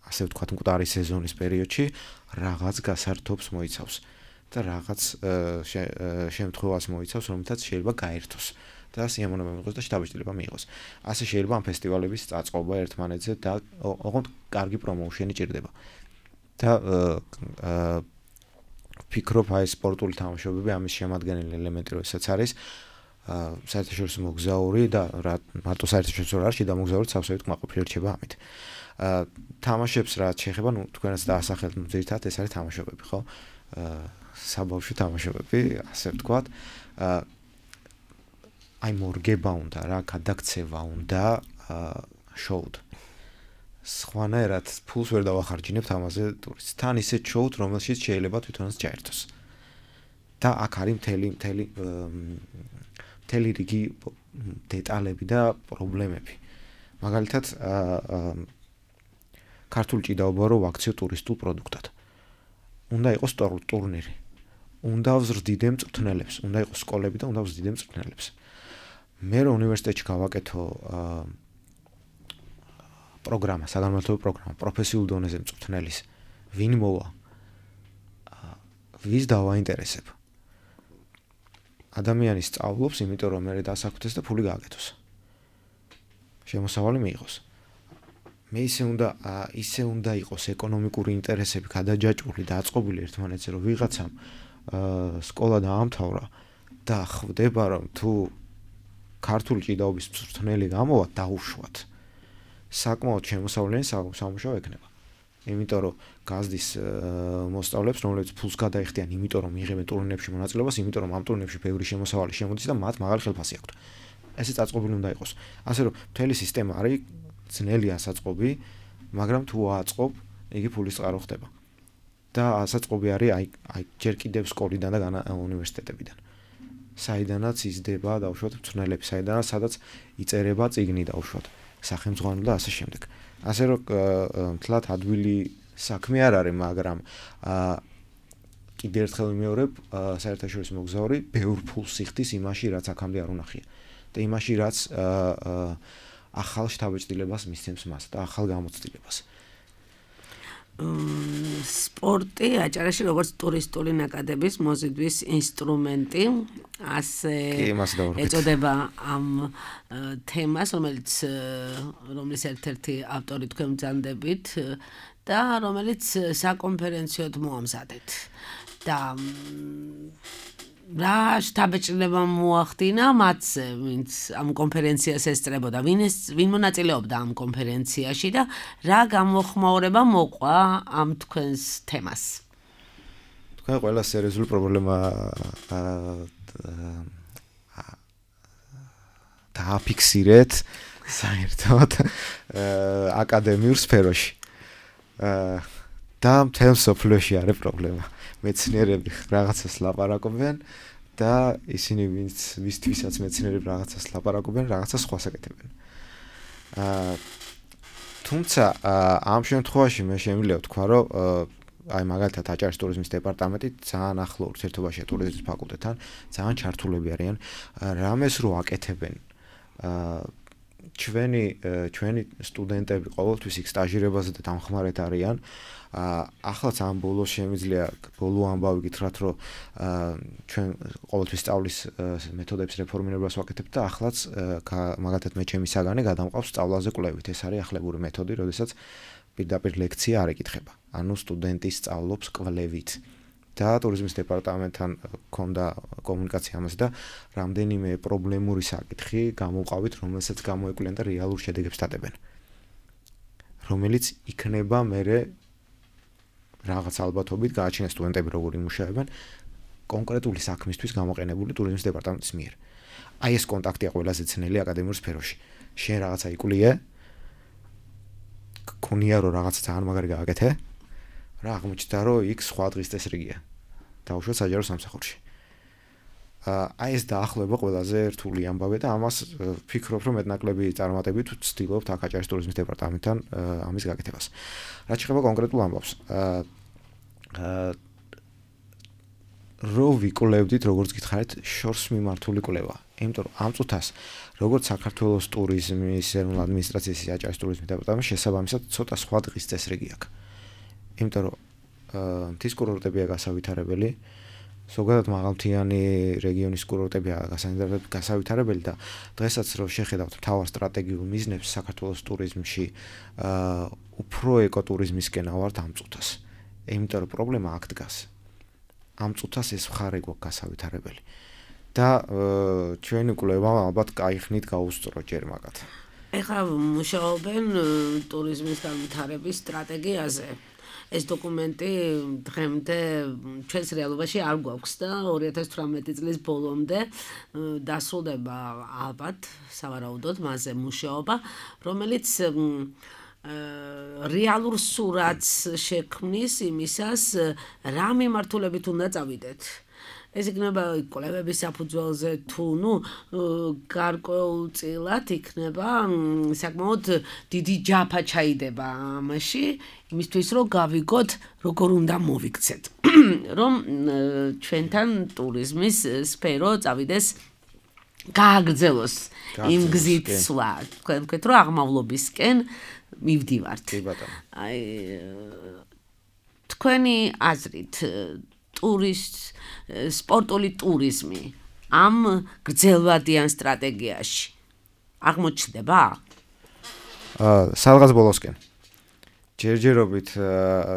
ასე ვთქვათ, მკვდარი სეზონის პერიოდში რაღაც გასართობს მოიცავს და რაღაც შემთხვევას მოიცავს, რომელთაც შეიძლება გაერთოს და სიამოვნება მიიღოს და შთაბეჭდილება მიიღოს. ასე შეიძლება ამ ფესტივალების წაწყობა ერთმანეთზე და ოღონდ კარგი პრომოუშენი ჭირდება. და ვფიქრობ, აი სპორტული თამაშობები ამის შემადგენელი ელემენტი როდესაც არის საერთაშორისო მოგზაური და მარტო საერთაშორისო არ შეიძლება მოგზაურიც სავსებით კმაყოფილი რჩება ამით. თამაშებს რაც შეეხება, ნუ თქვენაც დაასახელეთ, ძირითადად ეს არის თამაშობები, ხო? საბავშვო თამაშობები, ასე ვთქვათ. აი მორგება უნდა რა, გადაქცევა უნდა შოუდ. სხვანაირად ფულს ვერ დავახარჯინებთ ამაზე ტურისტს. თან ისეთ შოუდ, რომელშიც შეიძლება თვითონაც ჩაერთოს. და აქ არის მთელი რიგი დეტალები და პრობლემები. მაგალითად, ქართული ჭიდაობა რო ვაქციო ტურისტულ პროდუქტად. უნდა იყოს ტურნირი. უნდა ვზრდიდე მწვრთნელებს, უნდა იყოს სკოლები და უნდა ვზრდიდე მწვრთნელებს. მე რო უნივერსიტეტში გავაკეთო პროგრამა, საგანმანათლებლო პროგრამა, პროფესიულ დონეზე მწვრთნელის, ვინ მოვა? ვის დავაინტერესებ? ადამიანი სწავლობს, იმიტომ რომ მე დასაქმდეს და ფული გააკეთოს. შემოსავალი მიიღოს. მე ისე უნდა იყოს ეკონომიკური ინტერესები გადაჯაჭვული და აწყობილი ერთმანეთზე, რომ ვიღაცამ სკოლა დაამთავრა და ხვდება, რომ თუ ქართული ჭიდაობის მწვრთნელი გამოვა დაუშვათ. საკმაოდ შემოსავლიანი სამუშაო ექნება. იმიტომ რომ გაზდის მოსწავლეებს, რომლებიც ფულს გადაიხდიან, იმიტომ რომ მიიღებენ ტურნირებში მონაწილეობას, იმიტომ რომ ამ ტურნირებში ბევრი შემოსავალი შემოდის და მათ მაღალი ხელფასი აქვთ. ესე წაწყობილი უნდა იყოს. ასე რომ მთელი სისტემა არის ძნელია საწყობი, მაგრამ თუ აწყობ, იგი ფულის წყარო ხდება. და საწყობი არის აი ჯერ კიდევ სკოლიდან და უნივერსიტეტებიდან. საიდანაც იზრდება დაუშვათ მწვრთნელები, სადაც იწერება წიგნი დაუშვათ, სახელმძღვანელო და ასე შემდეგ. ასე რომ თლათ ადვილი საქმე არ არის, მაგრამ კიდევ ერთხელ ვიმეორებ, საერთაშორისო მოგზაური ბევრ ფულს იხდის იმაში, რაც აქამდე არ უნახია. და იმაში, რაც ახალ შთაბეჭდილებას მისცემს მას და ახალ გამოცდილებას. სპორტი აჭარაში როგორც ტურისტული ნაკადების მოზიდვის ინსტრუმენტი, ასე ეწოდება ამ თემას, რომლის ერთ-ერთი ავტორი თქვენ მძანდებით და რომელიც საკონფერენციოდ მოამზადეთ. და რა შთაბეჭდილება მოახდინა მათზე, ვინც ამ კონფერენციას ესწრებოდა, ვინ მონაწილეობდა ამ კონფერენციაში და რა გამოხმაურება მოყვა ამ თქვენს თემას? თქვენ ყველა სერიოზული პრობლემა დააფიქსირეთ საერთოდ აკადემიურ სფეროში. და მთელ სოფლიოში არის პრობლემა. მეცნიერები რაღაცას ლაპარაკობენ და ისინი ვისთვისაც მეცნიერები რაღაცას ლაპარაკობენ, რაღაცას სხვას აკეთებენ. თუმცა ამ შემთხვევაში მე შემიძლია ვთქვა, რომ აი მაგალითად აჭარის ტურიზმის დეპარტამენტი ძალიან ახლო ურთიერთობაშია ტურიზმის ფაკულტეტთან, ძალიან ჩართულები არიან, რამეს რო აკეთებენ. ჩვენი სტუდენტები ყოველთვის იქ სტაჟირებაზე და დამხმარეთ არიან. ახლაც ამ ბოლოს შემიძლია ბოლო ამბავი გითხრათ, რომ ჩვენ ყოველთვის სწავლის მეთოდების რეფორმირებას ვაკეთებთ და ახლაც მაგალითად მე ჩემი საგანი გადამყავს სწავლაზე კვლევით. ეს არის ახლებური მეთოდი, როდესაც პირდაპირ ლექცია არ ეკითხება. ანუ სტუდენტი სწავლობს კვლევით. და ტურიზმის დეპარტამენტთან გქონდა კომუნიკაცია ამაზე და რამდენიმე პრობლემური საკითხი გამოვყავით, რომელსაც გამოეკვლიენ და რეალურ შედეგებს დადებენ. რომელიც იქნება მერე რაღაც ალბათობით გააჩნია სტუდენტები როგორ იმუშავებენ კონკრეტული საქმისთვის გამოყენებული ტურიზმის დეპარტამენტის მიერ. აი ეს კონტაქტია ყველაზე ძნელი აკადემიურ სფეროში. შენ რაღაცა იკვლიე, გქონია რომ რაღაცა ძალიან მაგარი გააკეთე, რა აღმოჩნდა რომ იქ სხვა დღის წესრიგია. დაუშვათ საჯარო სამსახურში. აი ეს დაახლოება ყველაზე რთული ამბავია და ამას ვფიქრობ რომ მეტნაკლები წარმატებით ვცდილობთ აქ აჭარის ტურიზმის დეპარტამენტთან ამის გაკეთებას. რაც შეეხება კონკრეტულ ამბავს. რო ვიკვლევდით, როგორც გითხარით, შორს მიმართული კვლევა. იმიტომ რომ ამ წუთას როგორც საქართველოს ტურიზმის ეროვნულ ადმინისტრაციის აჭარის ტურიზმის დეპარტამენტში შესაბამისად ცოტა სხვა დღის წესრიგი აქვს. იმიტომ რომ მთის კურორტებია გასავითარებელი, ზოგადად მაღალმთიანი რეგიონის კურორტებია გასავითარებელი და დღესაც რო შეხედავთ მთავარ სტრატეგიულ მიზნებს საქართველოს ტურიზმში, უფრო ეკოტურიზმისკენ ავართ ამ წუთას. იმიტომ რომ პრობლემა აქ დგას. ამ წუთას ეს მხარე გვაქვს გასავითარებელი. და ჩვენი კვლევა ალბათ კაიხნით გაუსწრო ჯერ მაგათ. ეხლა მუშაობენ ტურიზმის განვითარების სტრატეგიაზე. ეს დოკუმენტი დღემდე ჩვენს რეალობაში არ გვაქვს და 2018 წლის ბოლომდე დასრულდება ალბათ სავარაუდოდ მასზე მუშაობა, რომელიც რეალურ სურათს შექმნის იმისას, რა მიმართულებით უნდა წავიდეთ. ეს იქნება კვლევების საფუძველზე თუ გარკვეულწილად იქნება საკმაოდ დიდი ჯაფა ჩაიდება ამაში, იმისთვის რომ გავიგოთ როგორ უნდა მოვიქცეთ, რომ ჩვენთან ტურიზმის სფერო წავიდეს გააგრძელოს იმ გზით სვლა. თქვენ ვთქვით რომ აღმავლობისკენ მივდივართ. აი თქვენი აზრით სპორტული ტურიზმი ამ გრძელვადიან სტრატეგიაში აღმოჩნდება? სადღაც ბოლოსკენ. ჯერჯერობით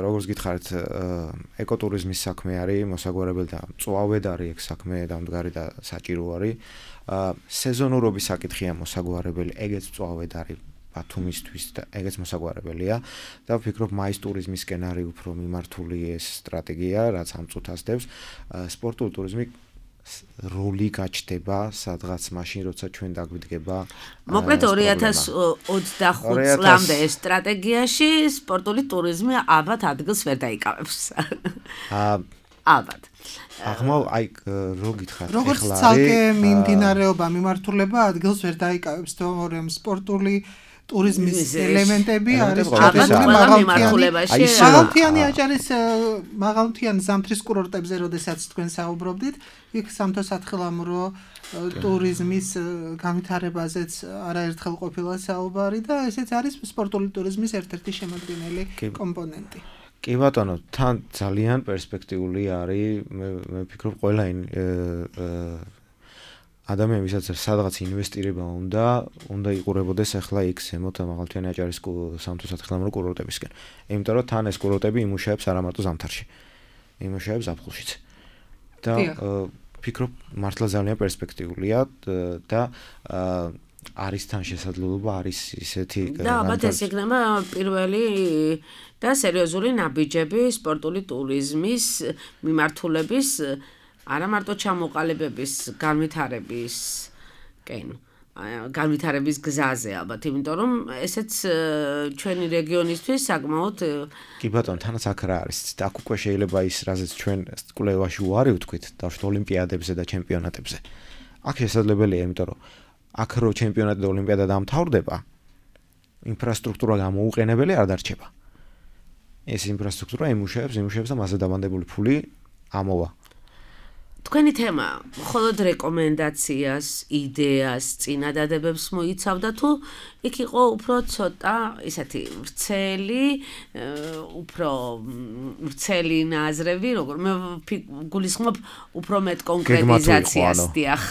როგორც გითხარით, ეკოტურიზმის საქმე არის მოსაგვარებელი და მწვავედ არის ეგ საქმე დამდგარი და საჭირო არის. სეზონურობის საკითხია მოსაგვარებელი, ეგეც მწვავედ არის ბათუმისთვის და ეგეც მოსაგვარებელია და ვფიქრობ მაის ტურიზმისკენ არის უფრო მიმართული ეს სტრატეგია, რაც ამ წუთას დევს. სპორტული ტურიზმი როლი გაჩნდება სადღაც მაშინ როცა ჩვენ დაგვიდგება მოკლედ 2025 წლამდე ეს სტრატეგიაში სპორტული ტურიზმი ალბათ ადგილს ვერ დაიკავებს. ალბათ. აი რო გითხარით როგორც ცალკე მიმდინარეობა მიმართულება ადგილს ვერ დაიკავებს, თორემ სპორტული ტურიზმის ელემენტები არის მაღალმთიანი აჭარის მაღალმთიანი ზამთრის კურორტებზე, როდესაც თქვენ საუბრობდით, იქ სამთო-სათხილამურო ტურიზმის განვითარებაზეც არაერთხელ ყოფილა საუბარი და ესეც არის სპორტული ტურიზმის ერთ-ერთი შემადგენელი კომპონენტი. კი ბატონო, თან ძალიან პერსპექტიული არის, მე ვფიქრობ ყველა ადამიანი ვისაც სადღაც ინვესტირება უნდა იყურებოდეს ახლა იქ ზემოთ მაღალმთიანი აჭარის სამთო-სათხილამურო კურორტებისკენ. იმიტომ რომ თან ეს კურორტები იმუშავებს არა მარტო ზამთარში, იმუშავებს ზაფხულშიც. და ვფიქრობ მართლა ძალიან პერსპექტიულია და არის თან შესაძლებლობა, არის ისეთი და ალბათ ეს იქნება პირველი და სერიოზული ნაბიჯები სპორტული ტურიზმის მიმართულების არა მარტო ჩამოყალიბების განვითარების გზაზე ალბათ, იმიტომ რომ ესეც ჩვენი რეგიონისთვის საკმაოდ კი ბატონო, თანაც აქ რა არის, აქ უკვე შეიძლება ის რაზეც ჩვენ კვლევაში უარი ვთქვით, დავშვით ოლიმპიადებზე და ჩემპიონატებზე. აქ შესაძლებელია, იმიტომ რომ აქ რო ჩემპიონატი და ოლიმპიადა დამთავრდება, ინფრასტრუქტურა გამოუყენებელი არ დარჩება. ეს ინფრასტრუქტურა იმუშავებს და მასზე დამანდებული ფული ამოვა. თქვენი თემა მხოლოდ რეკომენდაციას, იდეას, წინადადებებს მოიცავდა თუ იქ იყო უფრო ცოტა ისეთი ვრცელი ნაზრები, როგორ მე გულისხმობ უფრო მეტ კონკრეტიზაციას, დიახ.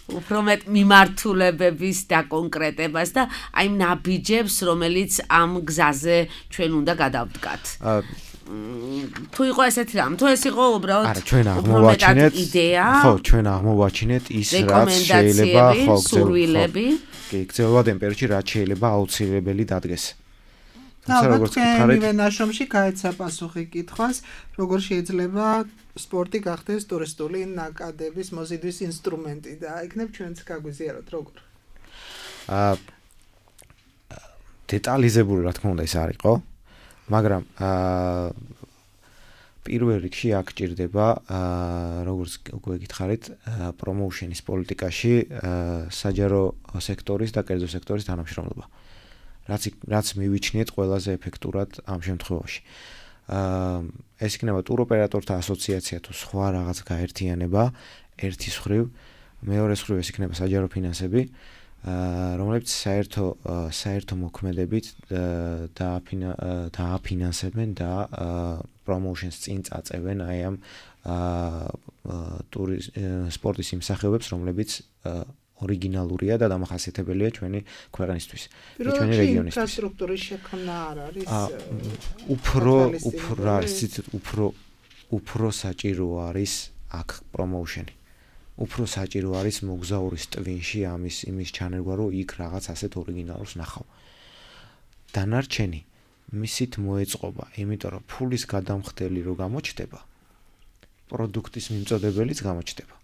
უფრო მეტ მიმართულებების დაკონკრეტებას და აი ნაბიჯებს, რომელიც ამ გზაზე ჩვენ უნდა გადავდგათ. თუ იყო ესეთი რამ, თუ ეს იყო უბრალოდ ჩვენ აღმოვაჩინეთ იდეა, ხო, ჩვენ აღმოვაჩინეთ ის რაც შეიძლება სურვილები, კი, გრძელვადიან პერიოდში რაც შეიძლება აუცილებელი დადგეს. როგორც თქვენ ნაშრომში გაეცა პასუხი კითხვას, როგორ შეიძლება სპორტი გახდეს ტურისტული ნაკადების მოზიდვის ინსტრუმენტი და იქნებ ჩვენც გაგვიზიაროთ როგორ. დეტალიზებული რა თქმა უნდა ეს არ იყო, მაგრამ პირველ რიგში აქ ჭირდება როგორც უკვე გითხარით, პრომოუშენის პოლიტიკაში საჯარო სექტორის და კერძო სექტორის თანამშრომლობა. რაც მივიჩნიეთ ყველაზე ეფექტურად ამ შემთხვევაში. ეს იქნება ტუროპერატორთა ასოციაცია თუ სხვა რაღაც გაერთიანება ერთის მხრივ, მეორეს მხრივ ეს იქნება საჯარო ფინანსები, რომლებიც საერთო მოქმედებით დააფინანსებენ და პრომოუშენს წინ წაწევენ აი ამ სპორტის იმ სახეობებს, რომლებიც ორიგინალურია და დამახასიათებელია ჩვენი ქვეყნისთვის, ჩვენი რეგიონისთვის. ინფრასტრუქტურის შექმნა არ არის უფრო საჭირო არის აქ პრომოუშენი. უფრო საჭირო არის მოგზაურის ტვინში იმის ჩანერგვა, რომ იქ რაღაც ასეთ ორიგინალურს ნახავ. დანარჩენი მისით მოეწყობა, იმიტომ რომ ფულის გადამხდელი რო გამოჩნდება, პროდუქტის მიმწოდებელიც გამოჩნდება.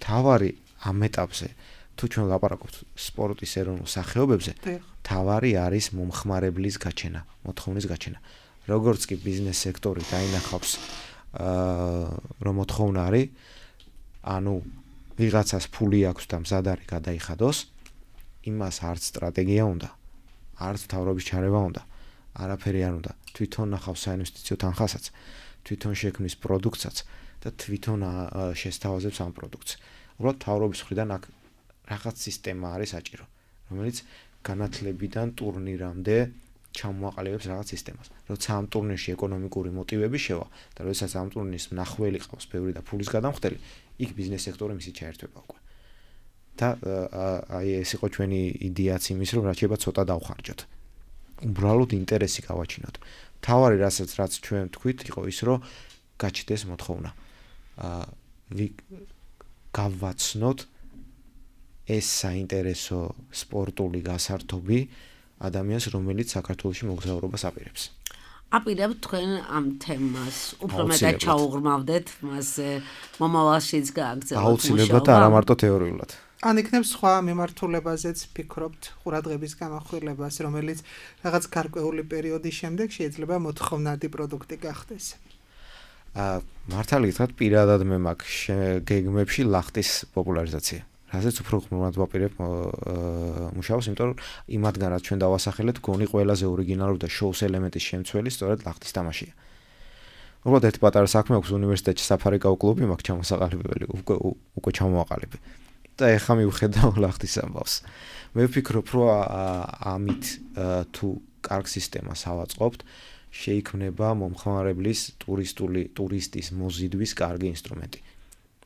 თავარი ამ ეტაპზე თუ ჩვენ ლაპარაკობთ სპორტის ეროვნულ სახეობებზე, თავარი არის მომხმარებლის გაჩენა, მოთხოვნის გაჩენა. როგორც კი ბიზნეს სექტორი დაინახავს რომ მოთხოვნა არის, ანუ ვიღაცას ფული აქვს და მზად არის გადაიხადოს, იმას არც სტრატეგია უნდა, არც მთავრობის ჩარევა უნდა, არაფერი არ უნდა. თვითონ ნახავს საინვესტიციო თანხასაც, თვითონ შექმნის პროდუქტსაც და თვითონ შესთავაზებს ამ პროდუქტს. უბრალოდ მთავრობის მხრიდან აქ რაღაც სისტემა არის საჭირო, რომელიც განათლებიდან ტურნირამდე ჩამოაყალიბებს რაღაც სისტემას. როცა ამ ტურნირში ეკონომიკური მოტივები შევა და როდესაც ამ ტურნირის მნახველი ყავს ბევრი და ფულის გადამხდელი, იქ ბიზნეს სექტორი მისი ჩაერთვება უკვე. და აი ეს იყო ჩვენი იდეაც იმის, რომ რაც შეიძლება ცოტა დავხარჯოთ. უბრალოდ ინტერესი გავაჩინოთ. თავარი რაც ჩვენ თქვით იყო ის, რომ გაჩნდეს მოთხოვნა. გავაცნოთ ეს საინტერესო სპორტული გასართობი ადამიანს, რომელიც საქართველოში მოგზაურობას აპირებს. აპირებთ თქვენ ამ თემას უფრო მეტად ჩაუღრმავდეთ, მასზე მომავალშიც გააგრძელოთ მუშაობა. აუცილებლად და არა მარტო თეორიულად. ან იქნებ სხვა მიმართულებაზეც ფიქრობთ, ყურადღების გამახვილებას, რომელიც რაღაც გარკვეული პერიოდის შემდეგ შეიძლება მოთხოვნადი პროდუქტი გახდეს. მართალი გითხრათ, პირადად მე მაქვს გეგმებში ლახტის პოპულარიზაცია. რაზეც უფრო ხმურად ვაპირებ მუშაობას, იმიტომ რომ იმათგან რაც ჩვენ დავასახელეთ, გონი ყველაზე ორიგინალური და შოუს ელემენტის შემცველი სწორედ ლახტის თამაშია. უბრალოდ ერთი პატარა საქმე აქვს უნივერსიტეტში საფარიკაო კლუბი მაქვს ჩამოსაყალიბებელი, უკვე ჩამოვაყალიბე. და ეხლა მივხედავ ლახტის ამბავს. მე ვფიქრობ, რომ ამით თუ კარგ სისტემას ავაწყობთ, შეიქმნება მომხმარებლის ტურისტის მოზიდვის კარგი ინსტრუმენტი.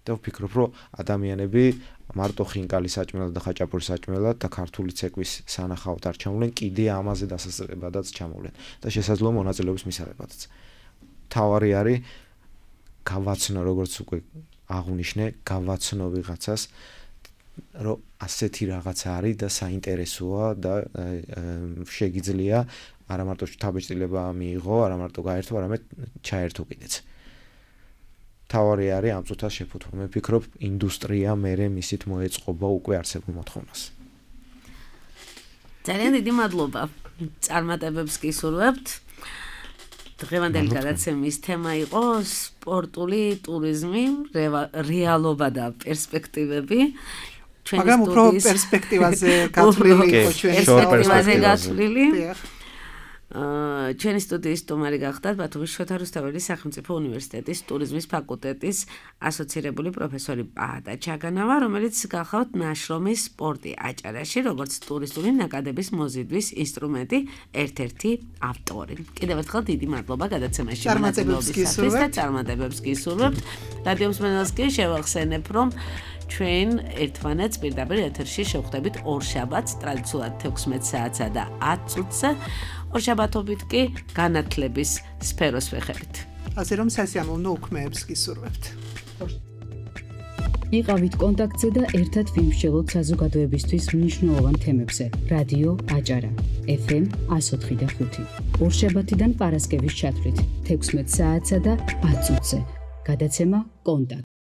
და ვფიქრობ, რომ ადამიანები მარტო ხინკალის საჭმელად და ხაჭაპურის საჭმელად და ქართული ცეკვის სანახავად არ ჩამოვლენ, კიდე ამაზე დასასწრებადაც ჩამოვლენ და შესაძლოა მონაწილეობის მისაღებადაც. თავარი არის გავაცნო, როგორც უკვე აღვნიშნე, გავაცნო ვიღაცას, რომ ასეთი რაღაცა არის და საინტერესოა და შეგიძლია არა მარტო თავშეწილება მიიღო, არა მარტო გაერთო, არამედ ჩაერთო კიდეც. თავარი არის ამ წუთას შეფუთვა. მე ვფიქრობ, ინდუსტრია მერე მისით მოეწყობა უკვე არსებულ მოთხოვნას. ძალიან დიდი მადლობა. წარმატებებს გისურვებთ. დღევანდელი გადაცემის თემა იყო სპორტული ტურიზმი, რეალობა და პერსპექტივები. მაგრამ უფრო პერსპექტივაზე გათვლილი იყო ჩვენი გათვლილი. ჩვენი სტუდიის სტუმარი გახდათ ბათუმის შოთა რუსთაველის სახელმწიფო უნივერსიტეტის ტურიზმის ფაკულტეტის ასოცირებული პროფესორი პაატა ჩაგანავა, რომელიც გახავთ ნაშრომის სპორტი აჭარაში, როგორც ტურისტული ნაკადების მოზიდვის ინსტრუმენტი, ერთ-ერთი ავტორი. კიდევ ერთხელ დიდი მადლობა გადაცემაში მონაწილეობისათვის და წარმატებებს გისურვებთ. რადიო მსმენელს კი შევახსენებ, რომ ჩვენ ერთმანეთს პირდაპირ ეთერში შევხვდებით ორშაბათს, ტრადიციულად 16 საათსა და 10 წუთზე. ორშაბათობით კი განათლების სფეროს ვეხებით. ასე რომ სასიამოვნო უქმეებს გისურვებთ. იყავით კონტაქტზე და ერთად ვიმსჯელოთ საზოგადოებისთვის მნიშვნელოვან თემებზე. რადიო აჭარა FM 104.5. ორშაბათიდან პარასკევის ჩათვლით 16 საათსა და 10 წუთზე. გადაცემა კონტაქტ